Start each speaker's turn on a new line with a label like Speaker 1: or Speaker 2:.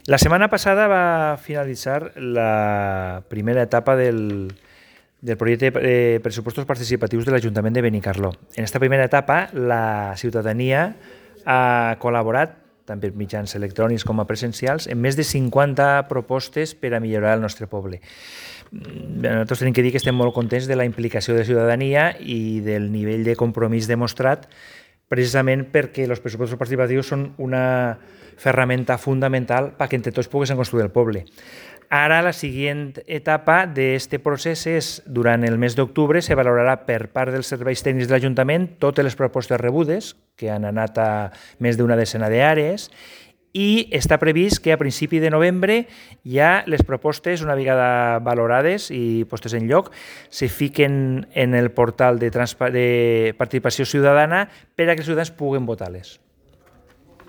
Speaker 1: La setmana passada va finalitzar la primera etapa del projecte de pressupostos participatius de l'Ajuntament de Benicarló. En aquesta primera etapa, la ciutadania ha col·laborat, tant per mitjans electrònics com a presencials, en més de 50 propostes per a millorar el nostre poble. Nosaltres tenim que dir que estem molt contents de la implicació de la ciutadania i del nivell de compromís demostrat, precisament perquè els pressupostos participatius són una ferramenta fundamental perquè entre tots poguéssim construir el poble. Ara la següent etapa d'aquest procés és, durant el mes d'octubre, se valorarà per part dels serveis tècnics de l'Ajuntament totes les propostes rebudes, que han anat a més d'una decena d'àrees, i està previst que a principi de novembre ja les propostes, una vegada valorades i postes en lloc, se fiquen en el portal de participació ciutadana per a que els ciutadans puguen votar-les.